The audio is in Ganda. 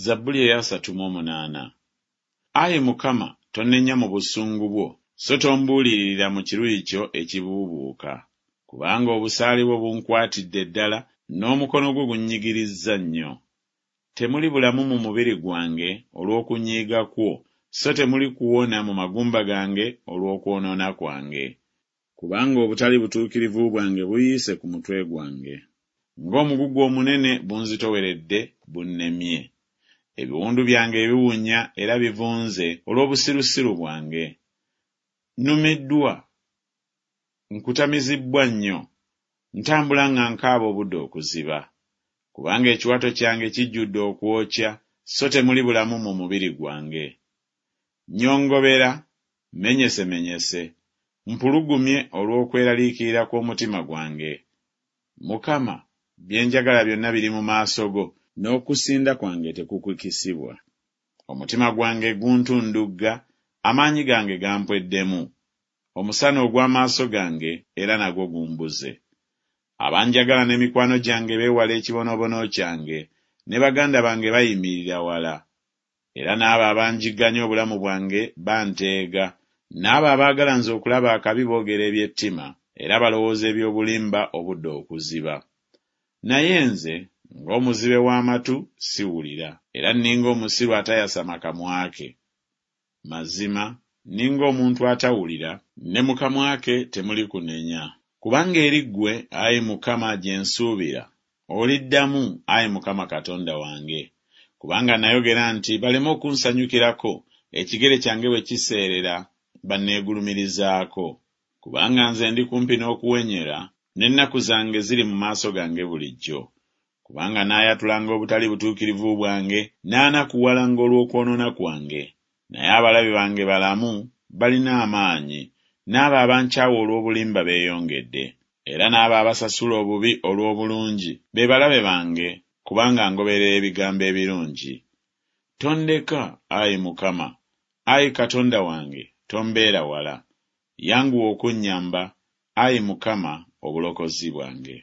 Zabbuli ey'asatu mu omunaana. Ayi Mukama, tonnenya mu busungu bwo, so tombuuliririra mu kiruyi kyo ekibuubuuka. Kubanga obusaale bwo bunkwatidde ddala, n'omukono gwo gunnyigirizza nnyo. Temuli bulamu mu mubiri gwange olw'okunyiiga kwo, so temuli kuwona mu magumba gange olw'okwonoona kwange. Kubanga obutali butuukirivu bwange buyiise ku mutwe gwange, ng'omugugu omunene bunzitoweredde bunnemye. Ebiwundu byange biwunya era bivunze olw'obusirusiru bwange. Nnumiddwa, nkutamizibbwa nnyo, ntambula nga nkaaba obudde okuziba. Kubanga ekiwato kyange kijjudde okwokya, so temuli bulamu mu mubiri gwange. Nnyongobera, mmenyesemenyese, mpulugumye olw'okweraliikirira kw'omutima gwange. Mukama, bye njagala byonna biri mu maaso go, n'okusinda kwange tekukukisibwa. Omutima gwange guntundugga, amaanyi gange gampweddemu. Omusana ogw'amaaso gange era nagwo gumbuze. Abanjagala ne mikwano gyange beewala ekibonoobono kyange, ne baganda bange bayimirira wala. Era n'abo abanjigganya obulamu bwange banteega, n'abo abaagala nze okulaba akabi boogera eby'ettima, era balowooza eby'obulimba obudde okuziba. Naye nze, ng'omuzibe w'amatu, siwulira, era nninga omusiru atayasama kamwa ke. Mazima, nninga omuntu atawulira, ne mu kamwa ke temuli kunenya. Kubanga eri ggwe, ayi Mukama, gye nsuubira, oliddamu, ayi Mukama Katonda wange. Kubanga nayogera nti Baleme okunsanyukirako, ekigere kyange bwe kiseerera, banneegulumirizaako. Kubanga nze ndi kumpi n'okuwenyera, n'ennaku zange ziri mu maaso gange bulijjo. Kubanga naayatulanga obutali butuukirivu bwange, naanakuwalanga olw'okwonoona kwange. Naye abalabe bange balamu, balina amaanyi, n'abo abankyawa olw'obulimba beeyongedde. Era n'abo abasasula obubi olw'obulungi be balabe bange, kubanga ngoberera ebigambo ebirungi. Tondeka, ayi Mukama, ayi Katonda wange, tombeera wala. Yanguwa okunnyamba, ayi Mukama, obulokozi bwange.